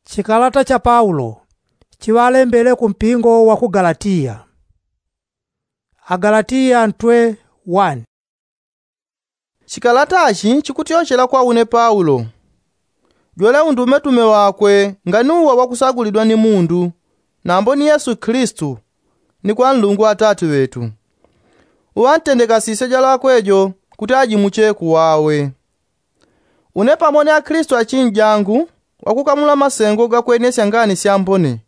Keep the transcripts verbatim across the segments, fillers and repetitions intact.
Chikalata cha paulo chiŵalembele ku mpingo wa ku galatiya. Agalatiya ntwe wani. Chikalata chi chikutyochela kwa une paulo, jwele undumetume wakwe nganiuwa wakusagulidwa ni mundu, nambo ni yesu kilisitu, ni kwa nlungu atati ŵetu, uŵantendekasisye jwalakwe jo kuti ajimuche kuwawe. Une pamo ni akilisitu achinjangu, wakukamula masengo gakwenesya ngani syambone,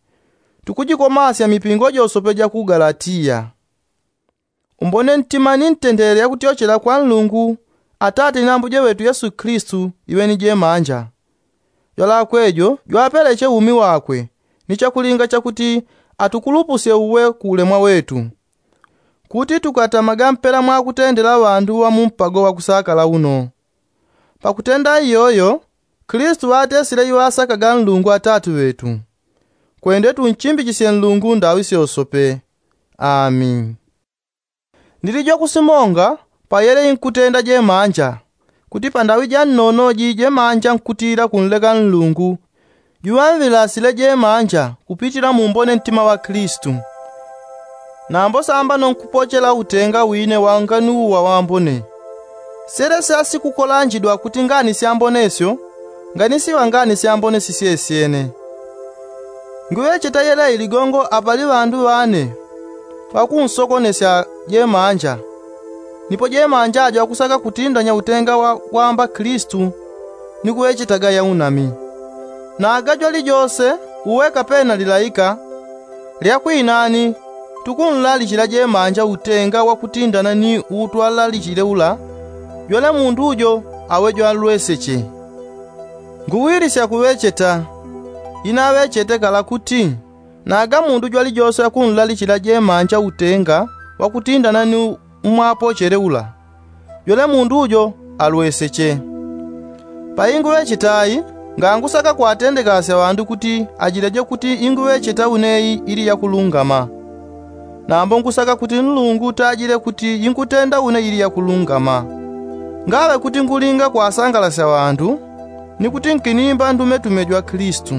tukujikomasya mipingo josope ja ku galatiya. Umbone ntima ni ntendelele yakutyochela kwa nlungu atati ni ambuje ŵetu yesu kilisitu iŵe ni jemanja. Jwalakwe jo jwapeleche umi wakwe, ni chakulinga chakuti atukulupusye uwe ku ulemwa wetu, kuti tukatamaga mpela mwakutendela ŵandu ŵa mumpago wakusakala uno. Pakutenda iyoyo, kilisitu ŵatesile iŵasakaga nlungu atati ŵetu. Kwende tunchimbichisye nlungu ndaŵi syosope. Ami. Ndili jwakusimonga payele inkutenda jemanja, kuti pandaŵi ja nnono ji jemanja nkutila kunleka nlungu, juŵamŵilasile jemanja kupitila mumbone ntima ŵa kilisitu. Nambo sambano nkupochela utenga wine wa nganiuwa wambone. Syelesya sikukolanjidwa kuti ngani syambone syo nganisiŵa ngani syambone sisyesyene. Nguŵecheta yelei ligongo apali ŵandu ŵane ŵakunsokonesya jemanja, nipo jemanja ajo akusaka kutindanya utenga wa kwamba kilisitu ni kuŵechetaga yaunami. Na agajwa lijose uwe kapena lilaika, lyakwinani tukunlalichila jemanja utenga wakutindana ni uutwalalichile ula, jwele mundu jo awe jwalweseche. Nguwilisya kuŵecheta, inaŵechete kala kuti, naga mundu jwalijose akunlalichila jemanja utenga wakutindana ni umwapochele ula, jwele mundu jo alweseche. Painguŵecheta i, ngangusaka kwatendekasya ŵandu kuti ajileje kuti inguŵecheta une i ili yakulungama. Nambo ngusaka kuti nlungu tajile kuti inkutenda une ili yakulungama. Ngaŵe kuti ngulinga kwasangalasya ŵandu, ni kuti nkinimba ndumetume jwa kilisitu,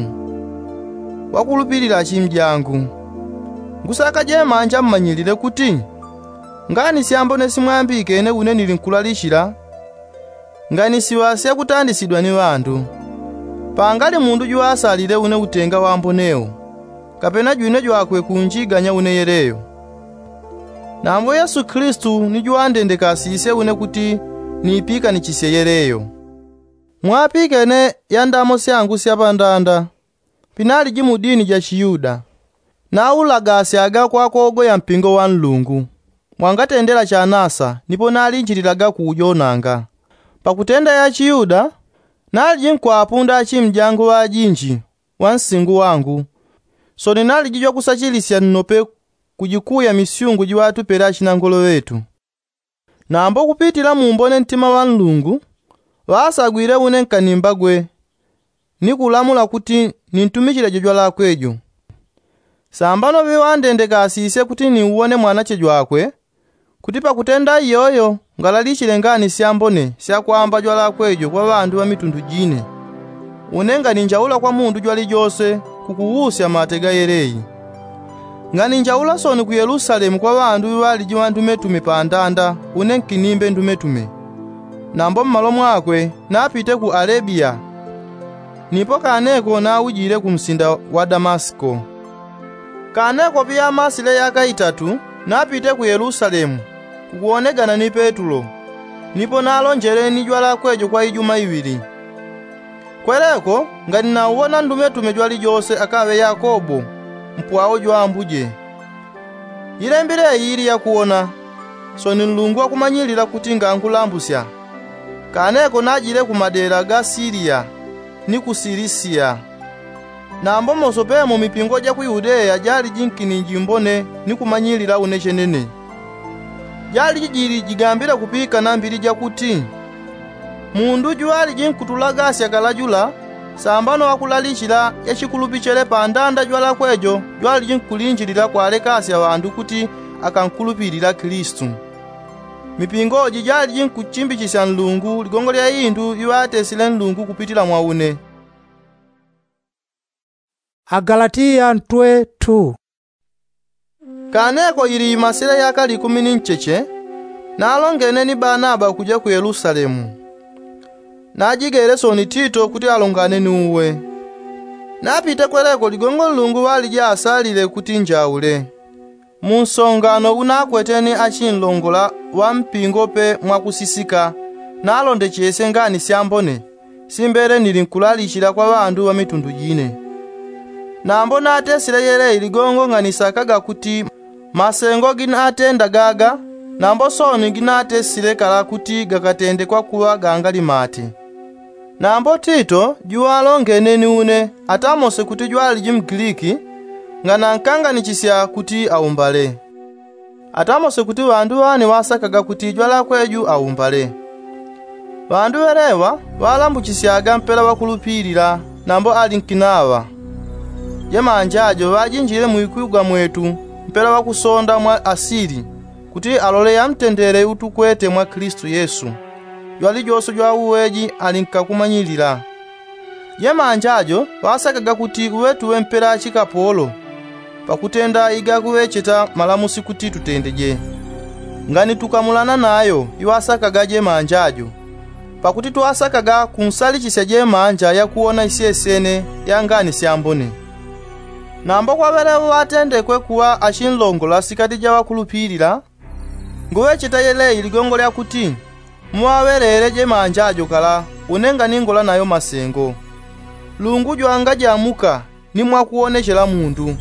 wakulupilila achimjangu. Ngusaka jemanja mmanyilile kuti ngani syambone simwambikene une nili nkulalichila, nganisiŵa syakutandisidwa ni ŵandu. Pangali mundu juŵasalile une utenga wambone wo, kapena jwine jwakwe kunjiganya une yeleyo. Nambo yesu kilisitu ni juŵandendekasisye une kuti niipikanichisye yeleyo. Mwapikene ya ndamo syangu sya pandanda. Pinaliji mu dini ja chiyuda, naulagasyaga kwakogoya mpingo wa nlungu, mwangatendela chanasa nipo nalinjililaga kuujonanga. Pakutenda ya chiyuda, naliji nkwapunda achimjangu ŵajinji ŵa nsingu wangu. Sono naliji jwakusachilisya nnope kujikuya misyungu jiŵatupele achinangolo ŵetu. Nambo kupitila mumbone ntima ŵa nlungu, ŵasagwile une nkanimba gwe, ni kulamula kuti nintumichile jo jwalakwe jo. Sambano ŵiŵandendekasisye kuti niuwone mwanache jwakwe, kuti pakutenda iyoyo ngalalichile ngani syambone syakwamba jwalakwe jo kwa ŵandu ŵa mitundu jine. Une nganinjaula kwa mundu jwalijose kukuwusya mate ga yelei. Nganinjaula sono ku yelusalemu kwa ŵandu ŵaliji ŵandumetume pandanda une nkinimbe ndumetume. Nambo mmalo mwakwe napite ku alebiya, nipo kaneko naujile ku msinda wa damasiko. Kaneko piyamasile yaka itatu napite ku yelusalemu kukuwonegana ni petulo, nipo nalonjele ni jwalakwe jo kwa ijuma iŵili. Kweleko nganinauwona ndumetume jwalijose akaŵe yakobo, mpwao jwambuje. Ilembi leyi ili yakuwona, sono nlungu akumanyilila kuti ngankulambusya. Kaneko najile ku madela ga siliya ni ku silisiya. Nambo mosopemo mipingo ja ku yudeya jaliji nkininji mbone ni kumanyilila une chenene. Jaliji jili jigambile kupikana mbili jakuti, mundu jwaliji nkutulagasya kalajula sambano akulalichila yachikulupichele pandanda jwalakwe jo jwaliji nkulinjilila kwalekasya ŵandu kuti akankulupilila kilisitu. Mipingo ji jaliji nkuchimbichisya nlungu ligongo lya indu iŵatesile nlungu kupitila mwa une. Agalatiya ntwe two. Kaneko ili imasile yaka likumi ni ncheche, nalongene ni banaba kuja ku yelusalemu. Najigele soni tito kuti alongane ni uwe. Napite kweleko ligongo nlungu ŵaliji asalile kuti njaule. Munsongano unakweteni achinlongola ŵa mpingo pe mwakusisika, nalondechese ngani syambone simbele nili nkulalichila kwa ŵandu ŵa mitundu jine. Nambo natesile yelei ligongo nganisakaga kuti masengo ginatenda gaga, nambo soni ginatesile kala kuti gakatende kwakuŵa gangali mate. Nambo tito juŵalongene ni une, atamose kuti jwaliji mgiliki, nganankanganichisya kuti aumbale. Atamose kuti ŵandu ŵane ŵasakaga kuti jwalakwe ju aumbale. Ŵandu ŵeleŵa ŵalambuchisyaga mpela ŵakulupilila, nambo ali nkinaŵa. Jemanja jo ŵajinjile mwikwigwa mwetu mpela ŵakusonda mwa asili, kuti alole yamtendele utukwete mwa Kilisitu Yesu, jwalijose jwa uweji ali nkakumanyilila. Jemanja jo ŵasakaga kuti uŵe tuŵe mpela chikapolo, pakutenda igakuŵecheta malamusi kuti tutendeje. Ngani tukamulana nayo iŵasakaga jemanja jo, pakuti twasakaga kunsalichisya jemanja yakuwona isyesene ya ngani syambone. Nambo kwa ŵeleŵo ŵatendekwe kuŵa achinlongola sikati ja ŵakulupilila, nguŵecheta yelei ligongo lya kuti muŵaŵelele jemanja jo kala une nganingola nayo masengo. Lungu jwangajamuka ni mwakuwonechela mundu.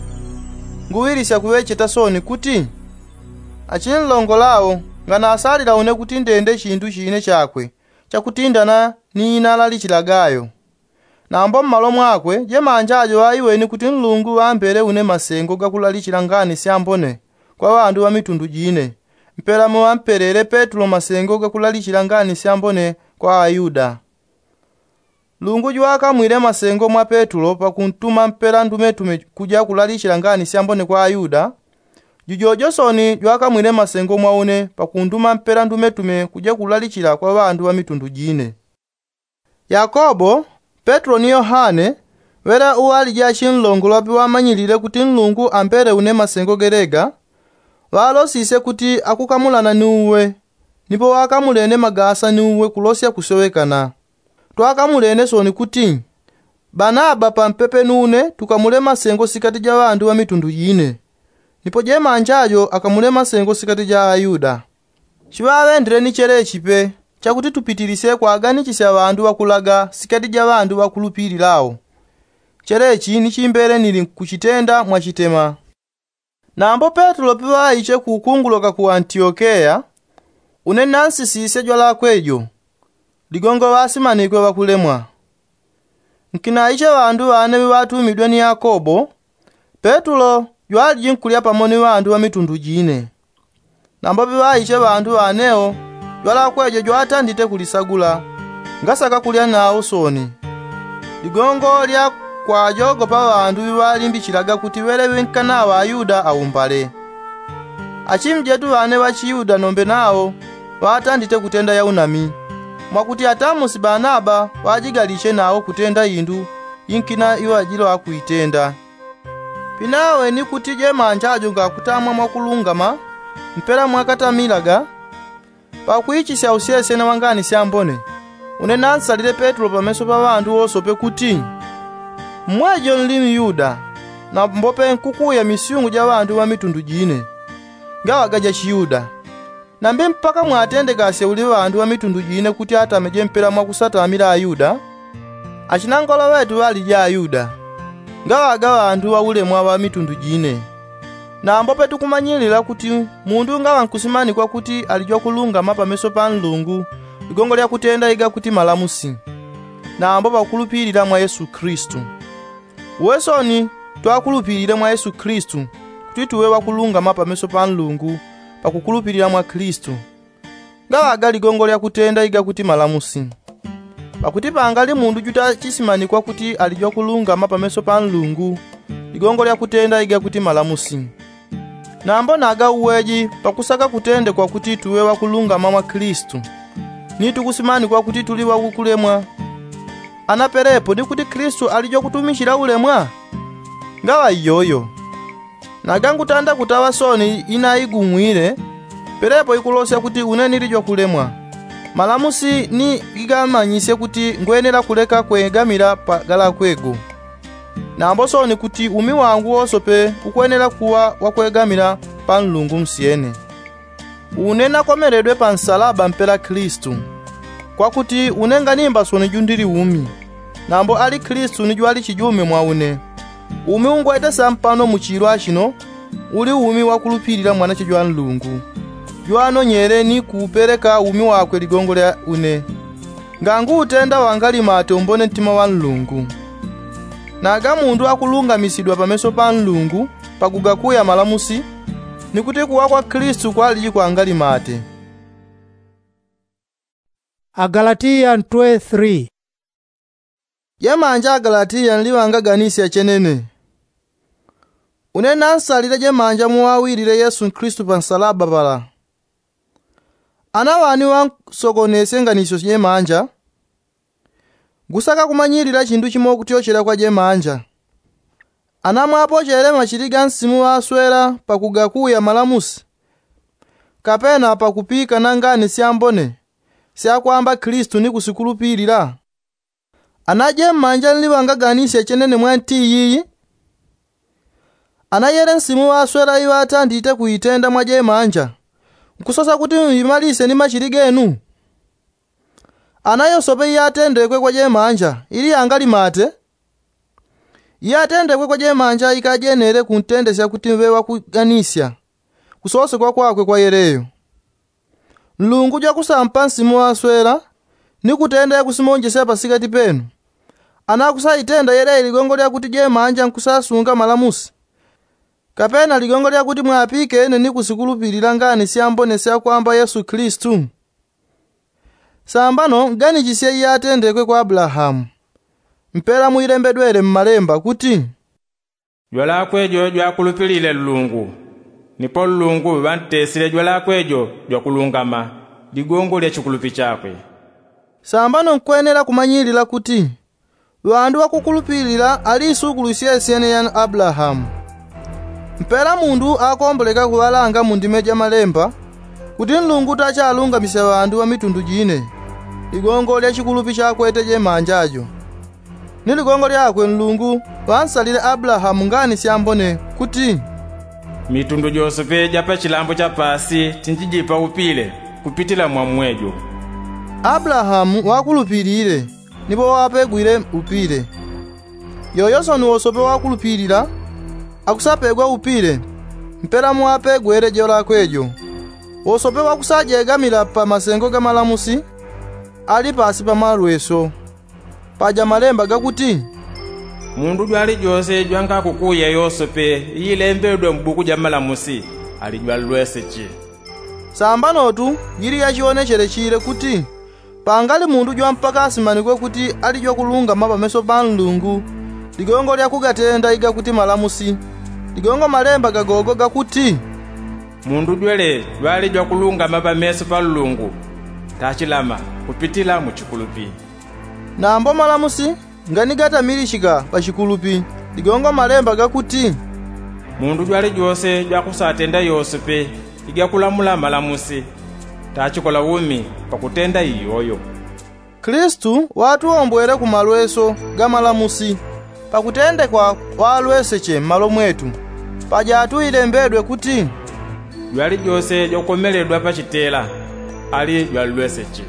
Nguŵilisya kuŵecheta soni kuti achinlongola awo nganasalila une kuti ndende chindu chine chakwe chakutindana ni inalalichilaga yo. Nambo mmalo mwakwe jemanja jo ŵaiweni kuti nlungu ŵambele une masengo gakulalichila ngani syambone kwa ŵandu ŵa mitundu jine, mpela muŵampelele petulo masengo gakulalichila ngani syambone kwa ayuda. Lungu jwakamwile masengo mwa petulo pakuntuma mpela ndumetume kuja kulalichila ngani syambone kwa ayuda, jujojo soni jwakamwile masengo mwa une pakunduma mpela ndumetume kuja kulalichila kwa ŵandu ŵa mitundu jine. Yakobo, petulo ni yohane, ŵele uŵaliji achinlongola piŵamanyilile kuti nlungu ambele une masengo gelega, ŵalosisye kuti akukamulana ni uwe. Nipo ŵakamulene magasa ni uwe kulosya kusowekana. Twakamulene soni kuti banaba pampepe nune tukamule masengo sikati ja ŵandu ŵa mitundu jine, nipo jemanja jo akamule masengo sikati ja ayuda. Chiŵaŵendile ni chelechi pe, chakuti tupitilisye kwaganisisya ŵandu ŵakulaga sikati ja ŵandu ŵakulupilila awo. Chelechi ni chimbele nili nkuchitenda mwachitema. Nambo petulo piŵaiche ku ukungulo ka ku antiokeya, une nansisisye jwalakwe jo, ligongo ŵasimanikwe ŵakulemwa. Nkinaiche ŵandu ŵane ŵiŵatumidwe ni yakobo, petulo jwaliji nkulya pamo ni ŵandu ŵa mitundu jine. Nambo piŵaiche ŵandu ŵanewo, jwalakwe jo jwatandite kulisagula, ngasaka kulya nawo soni. Ligongo lya kwajogopa ŵandu ŵiŵalimbichilaga kuti ŵele ŵinkana ŵayuda aumbale. Achimjetu ŵane ŵachiyuda nombe nawo ŵatandite kutenda yaunami, mwakuti atamusi banaba ŵajigaliche nawo kutenda indu inkina iŵajilo akuitenda. Pinaweni kuti jemanja jo ngakutamwa mwakulungama mpela mwakatamilaga, pakuichisya usyesene wa ngani syambone, une nansalile petulo pameso pa ŵandu wosope kuti, mmwejo nli myuda, nambo pe nkukuya misyungu ja ŵandu ŵa mitundu jine, ngaŵaga ja chiyuda. Nambi mpaka mwatendekasye uli ŵandu ŵa mitundu jine kuti atameje mpela mwakusatamila ayuda? Achinangolo ŵetu ŵaliji ayuda, ngaŵaga ŵandu ŵaulemwa ŵa mitundu jine. Nambo petukumanyilila kuti mundu ngaŵa nkusimanikwa kuti ali jwakulungama pameso pa nlungu, ligongo lya kutenda igakuti malamusi, nambo pakukulupilila mwa yesu kilisitu. Uwe soni, twakulupilile mwa yesu kilisitu, kuti tuŵe ŵakulungama pameso pa nlungu, pakukulupilila mwa kilisitu. Ngaŵaga ligongo lya kutenda igakuti malamusi. Pakuti pangali mundu jutachisimanikwa kuti ali jwakulungama pameso pa nlungu, ligongo lya kutenda igakuti malamusi. Nambo naga uweji pakusaka kutendekwa kuti tuŵe ŵakulungama mwa kilisitu, ni tukusimanikwa kuti tuli ŵakukulemwa. Ana pelepo ni kuti kilisitu ali jwakutumichila ulemwa? Ngaŵa iyoyo. Naga ngutanda kutaŵa sooni inaigumwile, pelepo ikulosya kuti une nili jwakulemwa. Malamusi ni gigamanyisye kuti ngwenela kuleka kwegamila pa galakwego. Nambo sooni kuti umi wangu wosope ukwenela kuŵa wakwegamila pa nlungu nsyene. Une nakomeledwe pa nsalaba mpela kilisitu. Kwakuti une nganimba sooni jundili umi, nambo ali kilisitu ni jwali chijume mwa une. Umi ungwete sampano mu chilwa chino, uli umi wakulupilila mwanache jwa nlungu, jwanonyele ni kuupeleka umi wakwe ligongo lya une. Nganguutenda wangalimate umbone ntima wa nlungu. Naga mundu akulungamisidwa pameso pa nlungu pakugakuya malamusi, ni kuti kuwa kwa kilisitu kwaliji kwangalimate. Agalatiya ntwe three. Jemanja agalatiya nliŵangaganisya chenene. Une nansalile jemanja muŵawilile yesu kilisitu pa nsalaba pala. Ana ŵani ŵansogonesye nganisyo jemanja? Ngusaka kumanyilila chindu chimo kutyochela kwa jemanja. Ana mwapochele machili ga nsimu ŵaswela pakugakuya malamusi, kapena pakupika na ngani syambone syakwamba kilisitu ni kusikulupilila? Ana jemanja nliŵangaganisya chenene mwa nti iyiyi? Ana yele nsimu ŵaswela iŵatandite kuitenda mwa jemanja, nkusosa kuti mŵimalisye ni machili genu? Ana yosope iyatendekwe kwa jemanja ili yangalimate? Iyatendekwe kwa jemanja ikajenele kuntendesya kuti ŵe ŵakuganisya kusosekwa kwakwe kwa yeleyo. Nlungu jwakusampa nsimu ŵaswela ni kutenda yakusimonjesya pasikati penu. Ana akusaitenda yeleyi ligongo lyakuti jemanja nkusasunga malamusi, kapena ligongo lyakuti mwapikene ni kusikulupilila ngani syambone syakwamba yesu kilisitu? Sambano nganijisye iyatendekwe kwa abulahamu. Mpela mwilembedwele mmalemba kuti, jwalakwe jo jwakulupilile nlungu, nipo nlungu ŵantesile jwalakwe jo jwakulungama ligongo lya chikulupi chakwe. Sambano nkwenela kumanyilila kuti ŵandu ŵakukulupilila ali isukulu isyesyene ya abulahamu. Mpela mundu akomboleka kuŵalanga mu ndime ja malemba kuti nlungu tachalungamisya ŵandu ŵa mitundu jine, ligongo lya chikulupi chakwete jemanja jo. Ni ligongo lyakwe nlungu ŵansalile abulahamu ngani syambone kuti, mitundu josepe ja pa chilambo cha paasi tinjijipa upile kupitila mwa mmwejo. Abulahamu ŵakulupilile, nipo ŵapegwile upile. Yoyo sooni wosope ŵakulupilila akusapegwa upile mpela mwapegwele jolakwe jo. Wosope ŵakusajegamila pa masengo ga malamusi ali paasi pa malweso. Paja malemba gakuti, mundu jwalijose jwangakukuya yosope iilembedwe mu buku ja malamusi ali jwanlweseche. Sambanotu jili yachionechele chile kuti pangali mundu jwampaka asimanikwe kuti ali jwakulungama pameso pa nlungu ligongo lya kugatenda igakuti malamusi, ligongo malemba gagogo gakuti, mundu jwele jwali jwakulungama pameso pa nlungu tachilama kupitila mu chikulupi. Nambo malamusi nganigatamilichika pa chikulupi, ligongo malemba gakuti, mundu jwalijose jwakusatenda yosepe igakulamula malamusi tachikola umi pakutenda iyoyo. Kilisitu ŵatuwombwele ku malweso ga malamusi pakutendekwa ŵalweseche mmalo mwetu. Paja atu ilembedwe kuti, jwalijose jwakukomeledwa pa chitela ali jwanlweseche.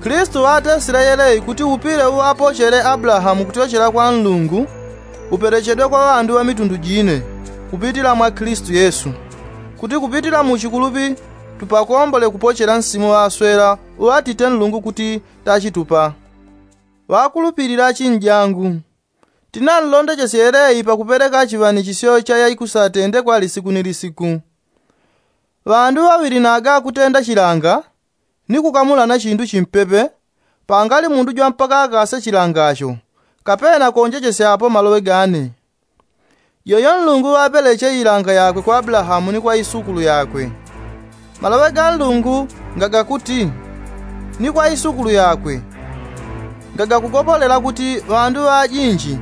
Kilisitu ŵatesile yeleyi kuti upile uŵapochele abulahamu kutyochela kwa nlungu upelechedwe kwa ŵandu ŵa mitundu jine kupitila mwa kilisitu yesu, kuti kupitila mu chikulupi tupakombole kupochela nsimu ŵaswela uŵatite nlungu kuti tachitupa. Ŵakulupilila achinjangu, tinanlondechesye yeleyi pakupeleka chiŵanichisyo cha yaikusatendekwa lisiku ni lisiku. Ŵandu ŵaŵili naga akutenda chilanga ni kukamulana chindu chimpepe, pangali mundu jwampaka akase chilangacho kapena konjechesyapo maloŵe gane. Yoyo nlungu ŵapeleche ilanga yakwe kwa abulahamu ni kwa isukulu yakwe. Maloŵe ga nlungu ngagakuti, ni kwa isukulu yakwe. Ngagakugopolela kuti ŵandu ŵajinji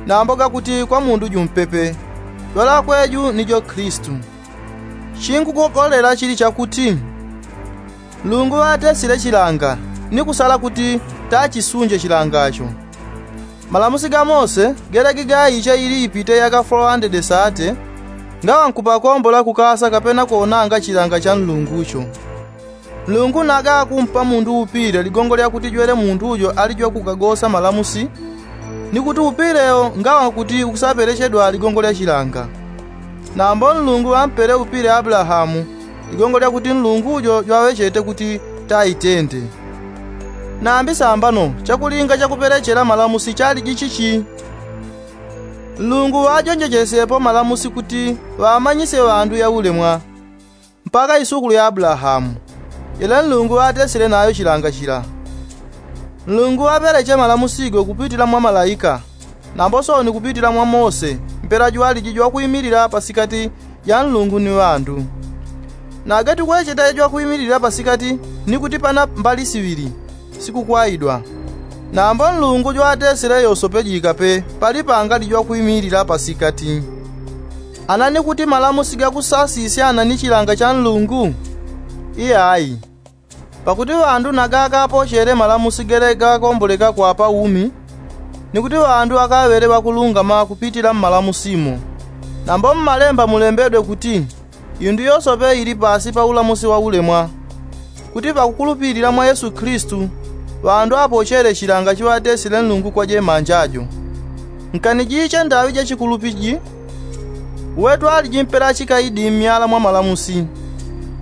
nambo gakuti kwa mundu jumpepe. Jwalakwe ju ni jo kilisitu. Chinkugogolela chili chakuti nlungu ŵatesile chilanga ni kusala kuti tachisunje chilangacho. Malamusi ga mose gelege gaiche ili ipite yaka folo andede sate ngaŵa nkupakombola kukasa kapena kuonanga chilanga cha nlungucho. Nlungu naga akumpa mundu upile ligongo lyakuti jwele mundu ujo ali jwakugagosa malamusi, ni kuti upile wo ngaŵa kuti ukusapelechedwa ligongo lya chilanga. Nambo nlungu ŵampele upile abulahamu ligongo lyakuti nlungu ujo jwaŵechete kuti taitende. Nambi sambano chakulinga chakupelechela malamusi chaliji chichi? Nlungu ŵajonjechesyepo malamusi kuti ŵamanyisye ŵandu yaulemwa mpaka isukulu ya abulahamu, yele nlungu ŵatesile nayo chilanga chila. Nlungu ŵapeleche malamusi go kupitila mwa malaika, nambo sooni kupitila mwa mose mpela jwaliji jwakwimilila pasikati ja nlungu ni ŵandu. Nage tukwecheta jwakwimilila pasikati ni kuti pana mbali siŵili sikukwaidwa. Nambo nlungu jwatesile yosope jikape pali pangali jwakwimilila pasikati. Ana ni kuti malamusi gakusasisya ana ni chilanga cha nlungu? Iyayi. Pakuti ŵandu naga akapochele malamusi gele gakomboleka kwa paumi, ni kuti ŵandu akaŵele ŵakulungama kupitila mmalamusi mo. Nambo mmalemba mulembedwe kuti indu yosope ili pasi pa ulamusi wa ulemwa, kuti pakukulupilila mwa yesu kilisitu ŵandu apochele chilanga chiŵatesile nlungu kwa jemanja jo. Nkani jiche ndaŵi ja chikulupi ji? Uwe twaliji mpela chikaidi mmyala mwa malamusi,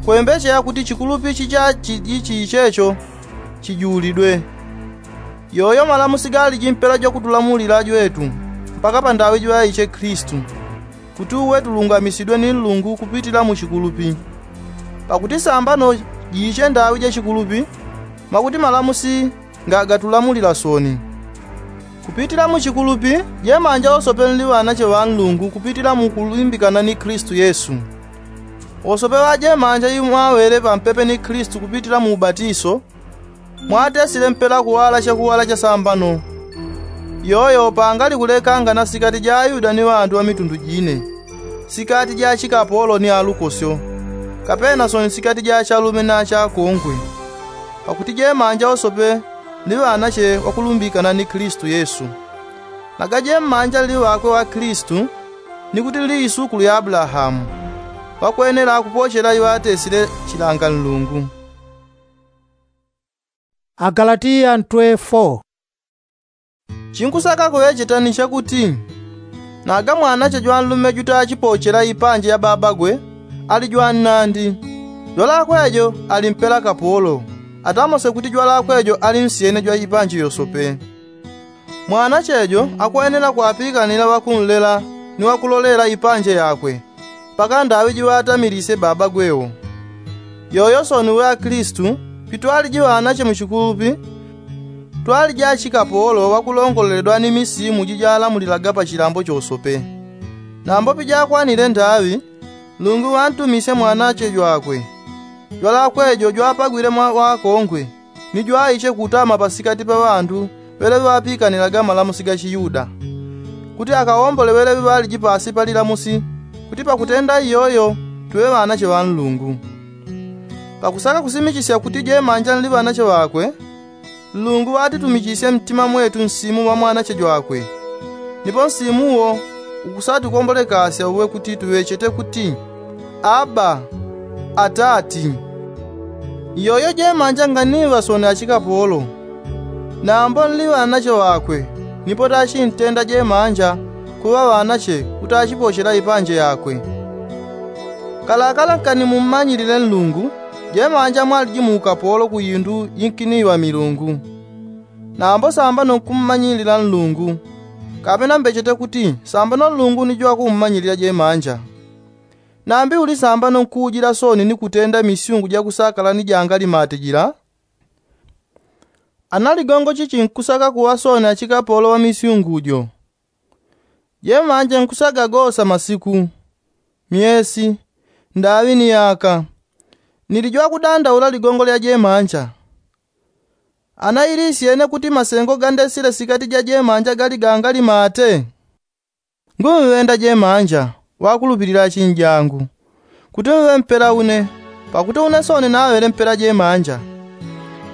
kwembecheya kuti chikulupi chicha chiji chichecho chijulidwe. Yoyo malamusi galiji mpela jwakutulamulila jwetu mpaka pa ndaŵi jiŵaiche kilisitu, kuti uwe tulungamisidwe ni nlungu kupitila mu chikulupi. Pakuti sambano jiche ndaŵi ja chikulupi, mwakuti malamusi nga gatulamulila sooni. Kupitila mu chikulupi jemanja wosope nli ŵanache ŵa nlungu kupitila mu kulimbikana ni kilisitu yesu. Wosope ŵajemanja imwaŵele pampepe ni kilisitu kupitila mu ubatiso, mwatesile mpela kuŵala chakuŵala cha sambano. Yoyo pangali kulekangana sikati ja ayuda ni ŵandu ŵa mitundu jine, sikati ja achikapolo ni alukosyo, kapena sooni sikati ja achalume na achakongwe. Pakuti jemanja wosope nli ŵanache ŵakulumbikana ni kilisitu yesu. Naga jemanja nli ŵakwe ŵa kilisitu, ni kuti nli isukulu ya abulahamu, ŵakwenela kupochela iŵatesile chilanga nlungu. Agalatiya ntwe fo. Chinkusaka kuŵecheta ni chakuti naga mwanache jwanlume jutachipochela ipanje ya babagwe, ali jwannandi. Jwalakwe jo ali mpela kapolo, atamose kuti jwalakwe jo ali nsyene jwa ipanje yosope. Mwanache jo akwenela kwapikanila ŵakunlela ni ŵakulolela ipanje yakwe, mpaka ndaŵi jiŵatamilisye babagwe wo. Yoyo sooni uŵa kilisitu, pitwaliji ŵanache mu chikulupi, twaliji achikapolo ŵakulongoleledwa ni misimu jijalamulilaga pa chilambo chosope. Nambo pijakwanile ndaŵi, nlungu ŵantumisye mwanache jwakwe, jwalakwe jo jwapagwile mwa ŵakongwe, ni jwaiche kutama pasikati pa ŵandu ŵeleŵe ŵapikanilaga malamusi ga chiyuda, kuti akawombole ŵeleŵe ŵaliji pasi pa lilamusi, kuti pakutenda iyoyo tuŵe ŵanache ŵa nlungu. Pakusaka kusimichisya kuti jemanja nli ŵanache ŵakwe, nlungu ŵatitumichisye mtima mwetu nsimu wa mwanache jwakwe. Nipo nsimu wo ukusatikombolekasya uwe kuti tuŵechete kuti, aba, atati. Iyoyo jemanja nganiŵa sooni achikapolo, nambo nli ŵanache ŵakwe, nipo tachintenda jemanja kuŵa ŵanache kutachipochela ipanje yakwe. Kalakala nkani mummanyilile nlungu, jemanja mwaliji mu ukapolo ku indu inkiniŵa milungu. Nambo sambano nkummanyilila nlungu, kapena mbechete kuti sambano nlungu ni jwakummanyilila jemanja. Nambi uli sambano nkuujila sooni ni kutenda misyungu jakusakala ni jangalimate jila? Ana ligongo chichi nkusaka kuŵa sooni achikapolo ŵa misyungu jo? Jemanja nkusagagosa masiku, myesi, ndaŵi ni yaka. Nili jwakudandaula ligongo lya jemanja. Ana ili isyene kuti masengo gandesile sikati ja jemanja gali gangalimate? Ngumŵenda jemanja wakulupilila achinjangu, kuti mŵe mpela une, pakuti une soni naŵele mpela jemanja.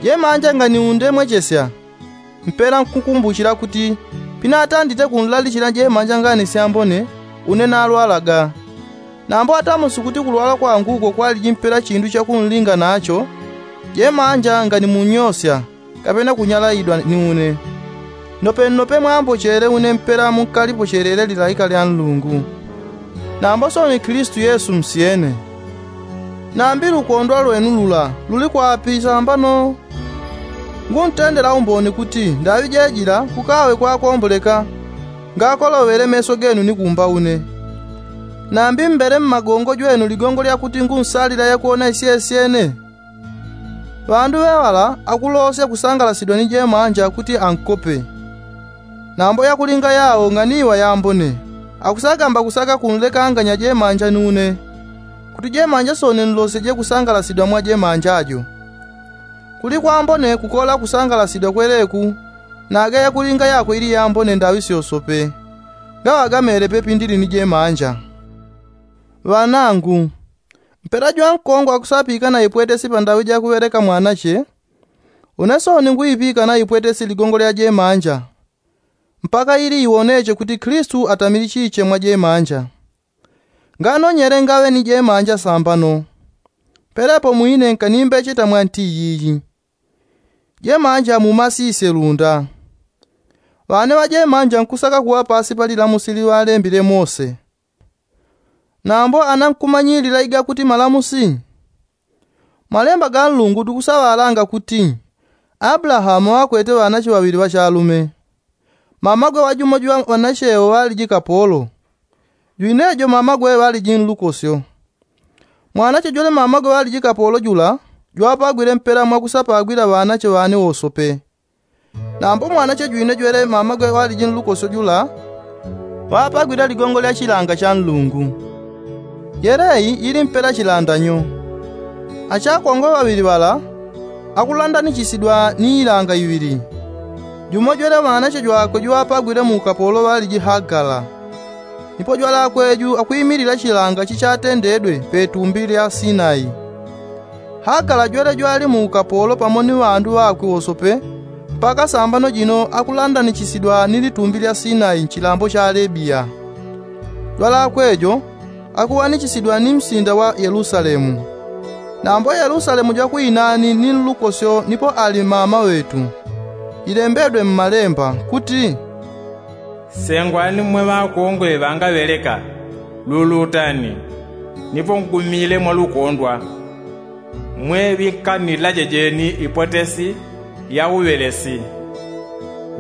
Jemanja nganimundemwechesya, mpela nkukumbuchila kuti pinatandite kunlalichila jemanja ngani syambone, une nalwalaga. Nambo atamusi kuti kulwala kwangu uko kwaliji mpela chindu chakunlinga nacho, jemanja nganimunyosya, kapena kunyalaidwa ni une. Nopenope mwambochele une mpela munkalipochele lilaika lya nlungu. Nambo soni kilisitu yesu msyene. Nambi lukondwa lwenu lula luli kwapi sambano? Nguntendela umboni kuti ndaŵi jejila kukaŵe kwakomboleka, ngakolowele meso genu ni kumba une. Nambi mbele mmagongo jwenu ligongo lyakuti ngunsalila yakuwona isyesyene. Ŵandu ŵeŵala akulosya kusangalasidwa ni jemanja kuti ankope. Nambo yakulinga yao nganiwa yambone, akusagamba kusaka kunlekanganya jemanja ni une, kuti jemanja soni nlosyeje kusangalasidwa mwa jemanja jo. Kuli kwambone kukola kusangalasidwa kweleku, naga yakulinga yako ili yambone ndaŵi syosope, ngaŵagamele pepindili ni jemanja. Ŵanangu, mpela jwankongwa akusapikana ipwetesi pandaŵi jakuŵeleka mwanache, une soni ngwipikana ipwetesi ligongo lya jemanja, mpaka ili iwoneche kuti kilisitu atamilichiche mwa jemanja. Nganonyele ngaŵe ni jemanja sambano. Pelepo mwine nkanimbeche tamwa nti yiyi. Jemanja mumasisye lunda. Ŵane ŵajemanja nkusaka kuŵa pasi pa lilamusi liŵalembile mose. Nambo ana nkumanyilila igakuti malamusi? Malemba ga nlungu tukusaŵalanga kuti, ablahamu ŵakwete ŵanache ŵaŵili ŵachalume. Mamagwe wa jumo jwa ŵanachewo ŵaliji kapolo, jwinejo mamagwe ŵaliji nlukosyo. Mwanache jwele mamagwe ŵaliji kapolo jula, jwapagwile mpela mwakusapagwila ŵanache ŵane wosope. Nambo mwanache jwine jwele mamagwe ŵaliji nlukosyo jula, ŵapagwile ligongo lya chilanga cha nlungu. Yeleyi ili mpela chilandanyo. Achakongwe ŵaŵili ŵala akulandanichisidwa ni ilanga iŵili. Jumo jwele mwanache jwakwe jwapagwile mu ukapolo ŵaliji hagala. Nipo jwalakweju akwimilila chilanga chichatendedwe petumbi lya sinai. Hagala jwele jwali mu ukapolo pamo ni ŵandu ŵakwe wosope, mpaka sambano jino akulandanichisidwa ni litumbi lya sinai nchilambo cha alebiya. Jwalakwejo akuwanichisidwa ni msinda wa yelusalemu. Nambo yelusalemu jwakwinani ni nlukosyo nipo ali mama ŵetu. Jilembedwe mmalemba kuti, sengwani mmwe ŵakongwe ŵangaŵeleka, lulutani, nipo ngumile mwalukondwa. Mwe ŵinkannilaje jeni ipwetesi ya uŵelesi.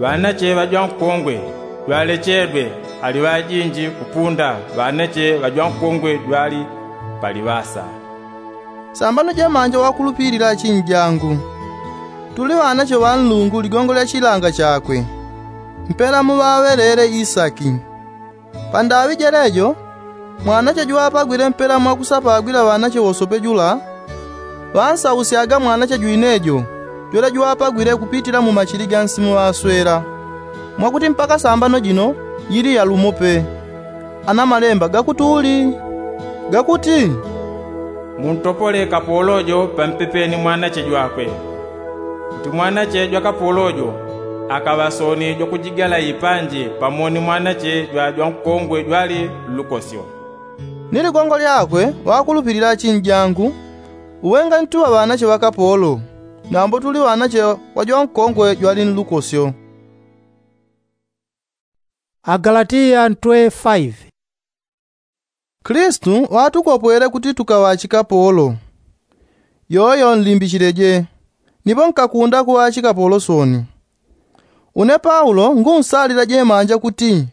Ŵanache ŵajwankongwe jwalechedwe ali ŵajinji kupunda ŵanache ŵajwankongwe jwali pali ŵasa. Sambano jemanja wakulupilila achinjangu, tuli ŵanache ŵa nlungu ligongo lya chilanga chakwe, mpela muŵaŵelele isaki. Pandaŵi jelejo, mwanache jwapagwile mpela mwakusapagwila ŵanache wosope jula, ŵansausyaga mwanache jwinejo jwele jwapagwile kupitila mu machili ga nsimu ŵaswela, mwakuti mpaka sambano jino yili yalumo pe. Ana malemba gakuti uli gakuti, muntopole kapolo jo pampepeni mwanache jwakwe, kuti mwanache jwa kapolo jo akaŵa soni jwakujigala ipanji pamo ni mwanache jwa jwankongwe jwali nlukosyo. Ni ligongo lyakwe ŵakulupilila achinjangu, uwe ngantuŵa ŵanache ŵa kapolo, nambo tuli ŵanache wa jwankongwe jwali nlukosyo. Agalatiya ntwe faive. Kilisitu ŵatukopwele kuti tukaŵa achikapolo. Yoyo nlimbichileje, nipo nkakunda kuŵa achikapolo soni. Une paulo ngunsalila jemanja kuti,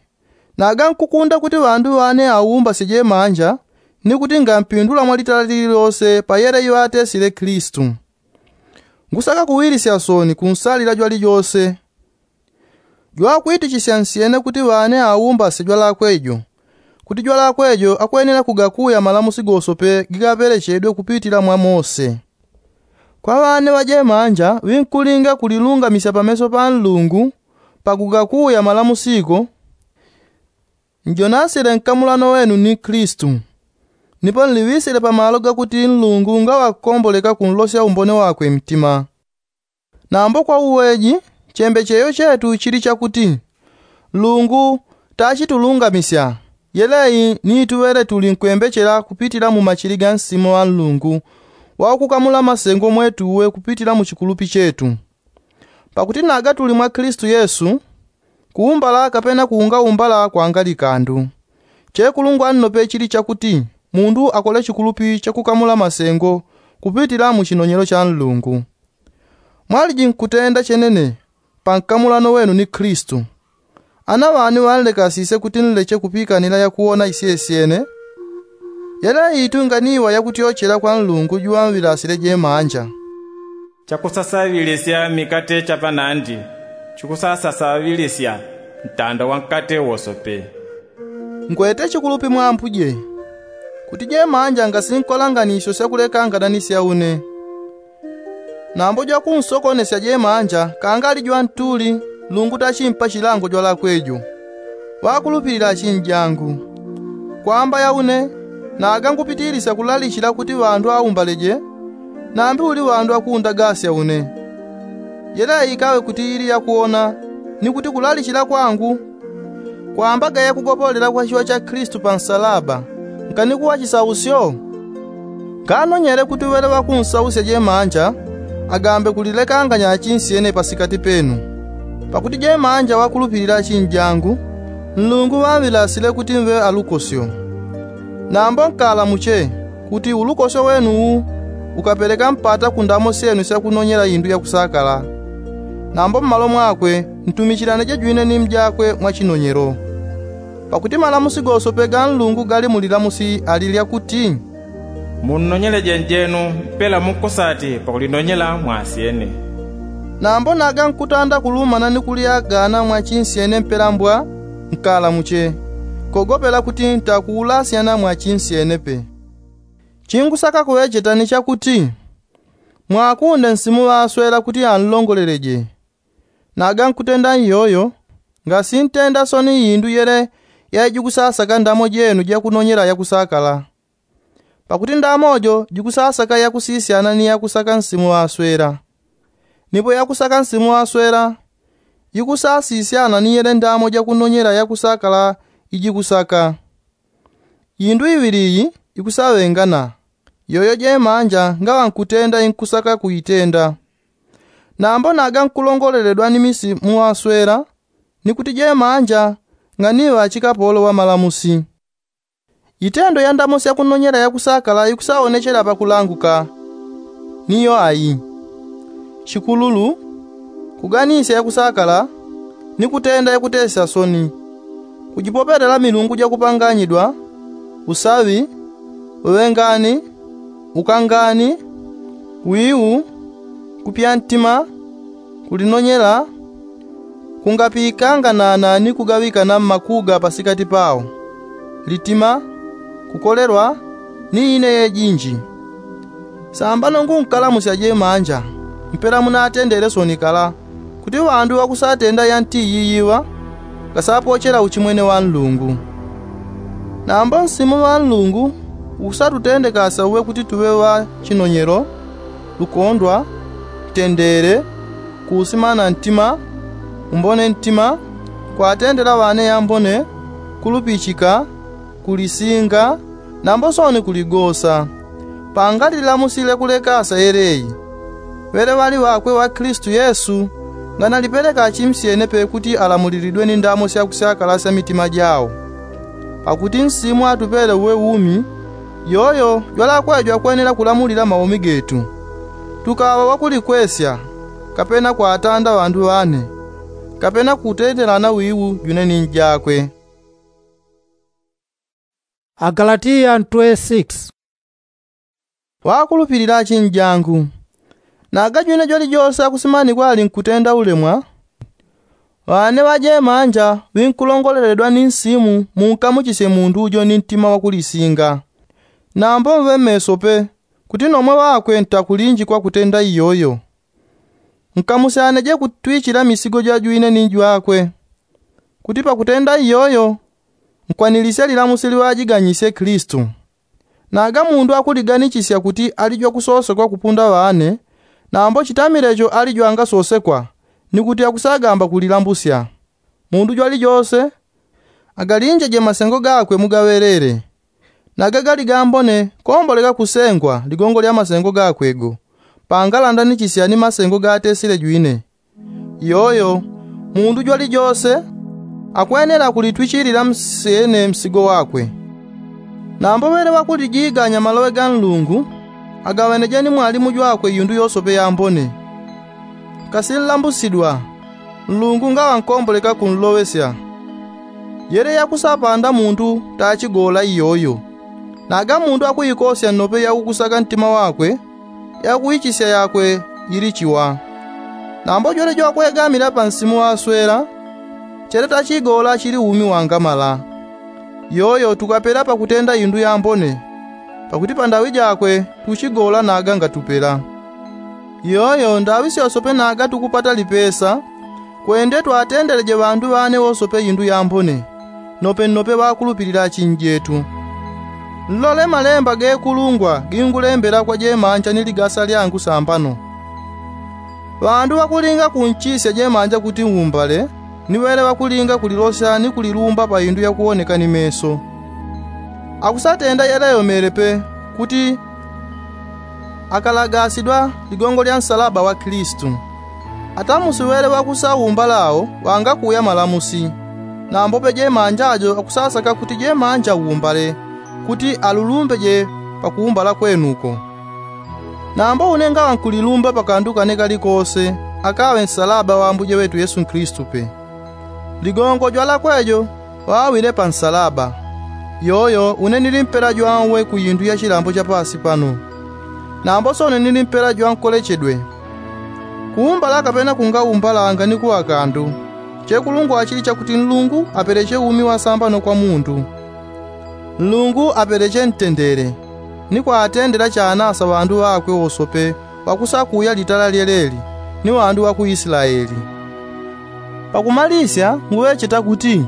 naga nkukunda kuti ŵandu ŵane aumbasye jemanja, ni kuti ngampindula mwalitala lililose pa yele iŵatesile kilisitu. Ngusaka kuwilisya soni kunsalila jwalijose. Jwakwitichisya nsyene kuti ŵane aumbasye jwalakwe jo, kuti jwalakwe jo akwenela kugakuya malamusi gosope gigaŵelechedwe kupitila mwa mose. Kwa ŵane ŵajemanja ŵinkulinga kulilungamisya pameso pa nlungu pakugakuya malamusi go. Njonasile nkamulano wenu ni klistu, nipo nliŵisile pamalo gakuti nlungu ngaŵakukomboleka kunlosya umbone wakwe mtima. Nambo kwa uweji, chembecheyo chetu chili chakuti nlungu tachitulungamisya. Yeleyi ni tuŵele tuli nkwembechela kupitila mu machili ga nsimu ŵa nlungu wakukamula masengo mwetuwe kupitila mu chikulupi chetu. Pakuti naga tuli mwa klistu yesu, kuumbala kapena kuungaumbala kwanga likandu. Chekulungwa nnope chili chakuti mundu akole chikulupi chakukamula masengo kupitila mu chinonyelo cha nlungu. Mwaliji nkutenda chenene pa nkamulano wenu ni klistu. Ana ŵani ŵanlekasisye kuti nleche kupikanila yakuwona isyesyene? Yeleyi itunganiwa yakutyochela kwa nlungu juŵaŵilasile jemanja. Chakusasaŵilisya mikate cha panandi chikusasasaŵilisya ntanda wa nkate wosope. Ngwete chikulupi mwa ambuje, kuti jemanja ngasinkola nganisyo syakulekangana ni sya une. Nambo jwakunsokonesya jemanja kangali jwantuli, nlungu tachimpa chilango jwalakwe jo. Ŵakulupilila achinjangu, kwamba ya une naga ngupitilisya kulalichila kuti ŵandu aumbaleje, nambi uli ŵandu akuundagasya une. Yeleyi ikaŵe kuti ili yakuwona, ni kuti kulalichila kwangu kwambaga yakugopolela kwa chiŵa cha klistu pa nsalaba, nkanikuŵa chisausyo? Nganonyele kuti uŵele ŵakunsausya jemanja agambe kulilekanganya achinsyene pasikati penu. Pakuti jemanja ŵakulupilila achinjangu, nlungu ŵaŵilasile kuti mve alukosyo. Nambo nkalamuche kuti ulukosyo wenu uwu ukapeleka mpata ku ndamo syenu syakunonyela indu yakusakala. Nambo mmalo mwakwe ntumichilaneje jwine ni mjakwe mwa chinonyelo. Pakuti malamusi gosope ga nlungu gali mu lilamusi ali lyakuti, munnonyeleje njenu mpela mukusati pakulinonyela mwasyene. Nambo naga nkutanda kulumana ni kulyagana mwa chinsyene mpela mbwa nkalamuche, kogopela kuti ntakuulasyana mwa chinsyene pe. Chingusaka kuŵecheta ni chakuti mwakunde nsimu ŵaswela kuti anlongoleleje. Naga nkutenda iyoyo, ngasintenda soni indu yele yaijikusasaka ndamo jenu jakunonyela yakusakala. Pakuti ndamo jo jikusasaka yakusisyana ni yakusaka nsimu ŵaswela. Nipo yakusaka nsimu ŵaswela jikusasisyana ni yele ndamo jakunonyela yakusakala ijikusaka. Indu iŵili iyi ikusaŵengana, yoyo jemanja ngaŵa nkutenda inkusaka kuitenda. Nambo naga nkulongoleledwa ni misi muŵaswela, ni kuti jemanja nganiŵa chikapolo ŵa malamusi. Itendo ya ndamo syakunonyela yakusakala ikusaonechela pakulanguka, niyo ayi: chikululu, kuganisya yakusakala, ni kutenda yakutesya soni, kujipopelela milungu jakupanganyidwa, usaŵi, uŵengani, ukangani, wiu, kupya ntima, kulinonyela, kungapikanganana ni kugaŵikana mmakuga pasikati pao, litima, kukolelwa, ni ine yejinji. Sambano ngunkalamusya jemanja, mpela munatendele soni kala, kuti ŵandu ŵakusatenda yanti iyiyiŵa ngasapochela uchimwene wa nlungu. Nambo nsimu ŵa nlungu ukusatutendekasya uŵe kuti tuŵe ŵa chinonyelo, lukondwa, ntendele, kuusimana ntima, umbone ntima, kwatendela ŵane yambone, kulupichika, kulisinga, nambo soni kuligosa. Pangali lilamusile kulekasya yeleyi, ŵele ŵali ŵakwe ŵa klistu yesu nganalipeleka achimsyene pe kuti alamulilidwe ni ndamo syakusyakalasya mitima jao. Pakuti nsimu atupele uwe umi, yoyo jwalakwe jwakwenela kulamulila maumi getu, tukaŵa ŵakulikwesya, kapena kwatanda ŵandu ŵane, kapena kutendelana wiu jwine ni njakwe. Agalatiya ntwe six. Ŵakulupilila achinjangu, naga jwine jwalijose akusimanikwa ali nkutenda ulemwa, ŵane ŵajemanja ŵinkulongoleledwa ni nsimu munkamuchisye mundu ujo ni ntima wakulisinga. Nambo mve meso pe kuti nomwe ŵakwe ntakulinjikwa kutenda iyoyo. Nkamusyaneje kutwichila misigo jajwine ni jwakwe, kuti pakutenda iyoyo Nkwanilisya lilamusi liŵajiganyisye kilisitu. Naga mundu akuliganichisya kuti ali jwakusosekwa kupunda ŵane, nambo chitamile cho ali jwangasosekwa, ni kuti akusagamba kulilambusya. Mundu jwalijose agalinjeje masengo gakwe mugaŵelele. Naga gali gambone komboleka kusengwa ligongo lya masengo gakwe go, pangalandanichisya ni masengo gatesile jwine. Iyoyo mundu jwalijose akwenela kulitwichilila msene msigo wakwe. Nambo ŵele ŵakulijiganya maloŵe ga nlungu, agaŵeneje ni mwalimu jwakwe iyundu yosope yambone. Kasi nlambusidwa nlungu ngaŵa nkomboleka kunloŵesya. Yele yakusapanda mundu tachigola iyoyo. Naga mundu akuikosya nnope yakukusaka ntima wakwe, yakuichisya yakwe yili chiwa. Nambo jwele jwakwegamila pansimu ŵaswela, chele tachigola chili umi wangamala. Iyoyo tukapela pakutenda indu yambone, pakuti pandaŵi jakwe tuchigola naga ngatupela. Iyoyo ndaŵi syosope naga tukupata lipesa, kwende twatendeleje ŵandu ŵane wosope indu yambone, nope nnope ŵakulupilila achinjetu. Nlole malemba gekulungwa gingulembela kwa jemanja ni ligasa lyangu sambano. Ŵandu ŵakulinga kunchisya jemanja kuti umbale, ni ŵele ŵakulinga kulilosya ni kulilumba pa indu yakuwoneka ni meso. Akusatenda yeleyomele pe kuti akalagasidwa ligongo lya nsalaba wa kilisitu. Atamusi ŵele ŵakusaumbala awo ŵangakuya malamusi. Nambo pe jemanja jo akusasaka kuti jemanja umbale, kuti alulumbeje pakuumbala kwenuko. Nambo une ngaŵa nkulilumba pakandu kane kalikose, akaŵe nsalaba wa ambuje ŵetu yesu kilisitu pe. Ligongo jwalakwe jo ŵaŵile pansalaba. Yoyo une nili mpela jwanwe ku indu ya chilambo cha pasi pano. Nambo sone nili mpela jwankolechedwe. Kuumbala kapena kungaumbalanga ni kuŵa kandu. Chekulungwa chili chakuti nlungu apeleche umi wasambano kwa mundu. Nlungu apeleche ntendele, ni kwatendela chanasa ŵandu ŵakwe wosope ŵakusakuya litala lyeleli, ni ŵandu ŵa ku isilaeli. Pakumalisya nguŵecheta kuti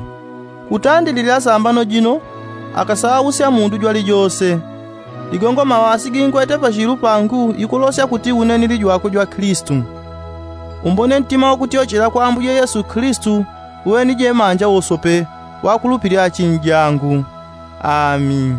kutandililila sambano jino, akasausya mundu jwalijose. Ligongo mawasi gingwete pachilu pangu ikulosya kuti une nili jwakwe jwa kilisitu. Umbone ntima wakutyochela kwa ambuje yesu kilisitu, uŵe ni jemanja wosope, wakulupilila achinjangu. Ami.